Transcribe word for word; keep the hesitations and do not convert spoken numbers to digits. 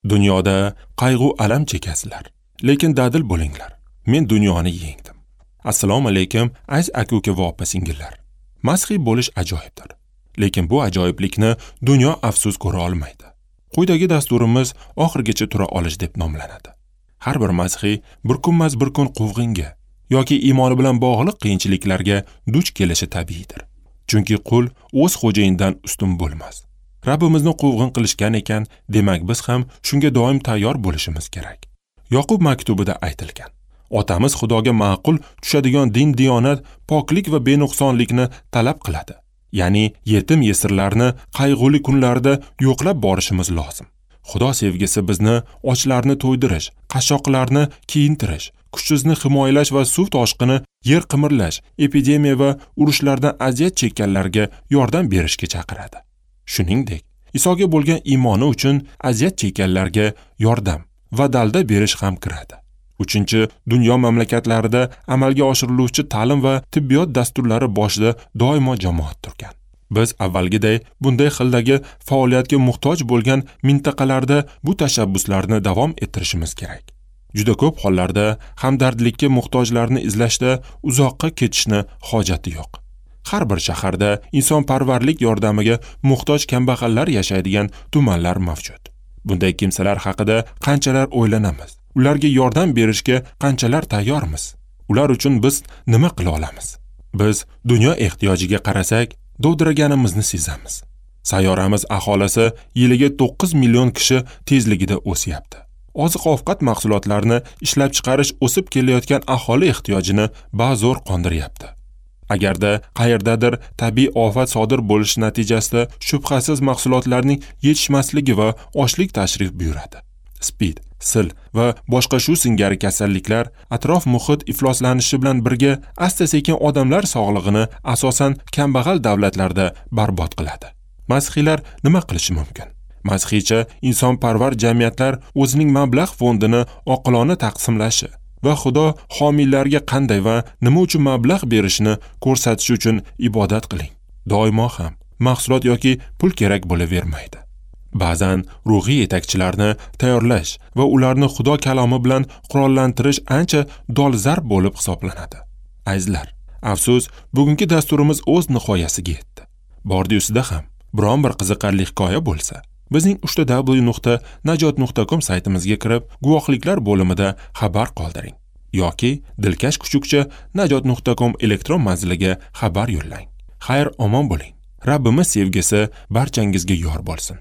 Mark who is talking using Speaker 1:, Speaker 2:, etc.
Speaker 1: Dunyoda qayg'u alam chekasizlar, lekin dadil bo'linglar. Men dunyoni yengdim. Assalomu alaykum, aziz aka-uka va opa-singillar. Masihiy bo'lish ajoyibdir. Lekin bu ajoyiblikni dunyo afsus ko'ra olmaydi. Quyidagi dasturimiz oxirigacha tura olish deb nomlanadi. Har bir masihiy bir kunmas bir kun quvg'inga yoki iymoni bilan bog'liq qiyinchiliklarga duch kelishi tabiiydir. Chunki qul o'z xo'jayinidan ustun bo'lmas. Rabbimizni quvg'in qilishgan ekan, demak biz ham shunga doim tayyor bo'lishimiz kerak. Yoqub maktubida aytilgan: Otamiz Xudoga ma'qul tushadigan din diyonat, poklik va benuqsonlikni talab qiladi. Ya'ni yetim yesirlarni qayg'uli kunlarda yo'qlab borishimiz lozim. Xudo sevgisi bizni ochlarni to'ydirish, qashshoqlarni kiyintirish, kuchsizni himoyalash va suv toshqini, yer qimirlash, epidemiya va urushlardan aziyat chekkanlarga yordam berishga chaqiradi. Shuningdek, Isoga bo'lgan iymoni uchun aziyat chekkanlarga yordam va dalda berish ham kiradi. Uchinchi, dunyo mamlakatlarida amalga oshiriluvchi ta'lim va tibbiyot dasturlari boshida doimo jamoat turgan. Biz avvalgiday bunday xildagi faoliyatga muhtoj bo'lgan mintaqalarda bu tashabbuslarni davom ettirishimiz kerak. Juda ko'p hollarda hamdardlikka muhtojlarni izlashda uzoqqa ketishni hojati yo'q. Har bir shaharda insonparvarlik yordamiga muhtoj kambag'allar yashaydigan tumanlar mavjud. Bunday kimsalar haqida qanchalar o'ylanamiz? Ularga yordam berishga qanchalar tayyormiz? Ular uchun biz nima qila olamiz? Biz dunyo ehtiyojiga qarasak, dovdiraganimizni sezamiz. Sayyoramiz aholisi yiliga to'qqiz million kishi tezligida o'syapti. Oziq-ovqat mahsulotlarini ishlab chiqarish o'sib kelayotgan aholi ehtiyojini bazo'r qondiryapti. Agarda qayerdadir tabiiy ofat sodir bo'lishi natijasida shubhasiz mahsulotlarning yetishmasligi va ochlik tashrif buyuradi. Spid, sil va boshqa shu singari kasalliklar atrof muhit ifloslanishi bilan birga asta-sekin odamlar sog'lig'ini asosan kambag'al davlatlarda barbod qiladi. Masihiylar nima qilishi mumkin? Masihiycha insonparvar jamiyatlar o'zining mablag' fondini oqilona taqsimlashi va Xudo homiylarga qanday va nima uchun mablag' berishini ko'rsatish uchun ibodat qiling. Doimo ham mahsulot yoki pul kerak bo'lavermaydi. Ba'zan ruhiy yetakchilarni tayyorlash va ularni Xudo kalomi bilan qurollantirish ancha dolzarb bo'lib hisoblanadi. Azizlar, afsus, bugungi dasturimiz o'z nihoyasiga yetdi. Bordi-ustida ham biron bir qiziqarli hikoya bo'lsa, bizning uch ta w nuqta najot nuqta com saytimizga kirib, guvohliklar bo'limida xabar qoldiring yoki dilkash kuchukcha najot nuqta com elektron manziliga xabar yo'llang. Xayr, omon bo'ling. Rabbimiz sevgisi barchangizga yor bo'lsin.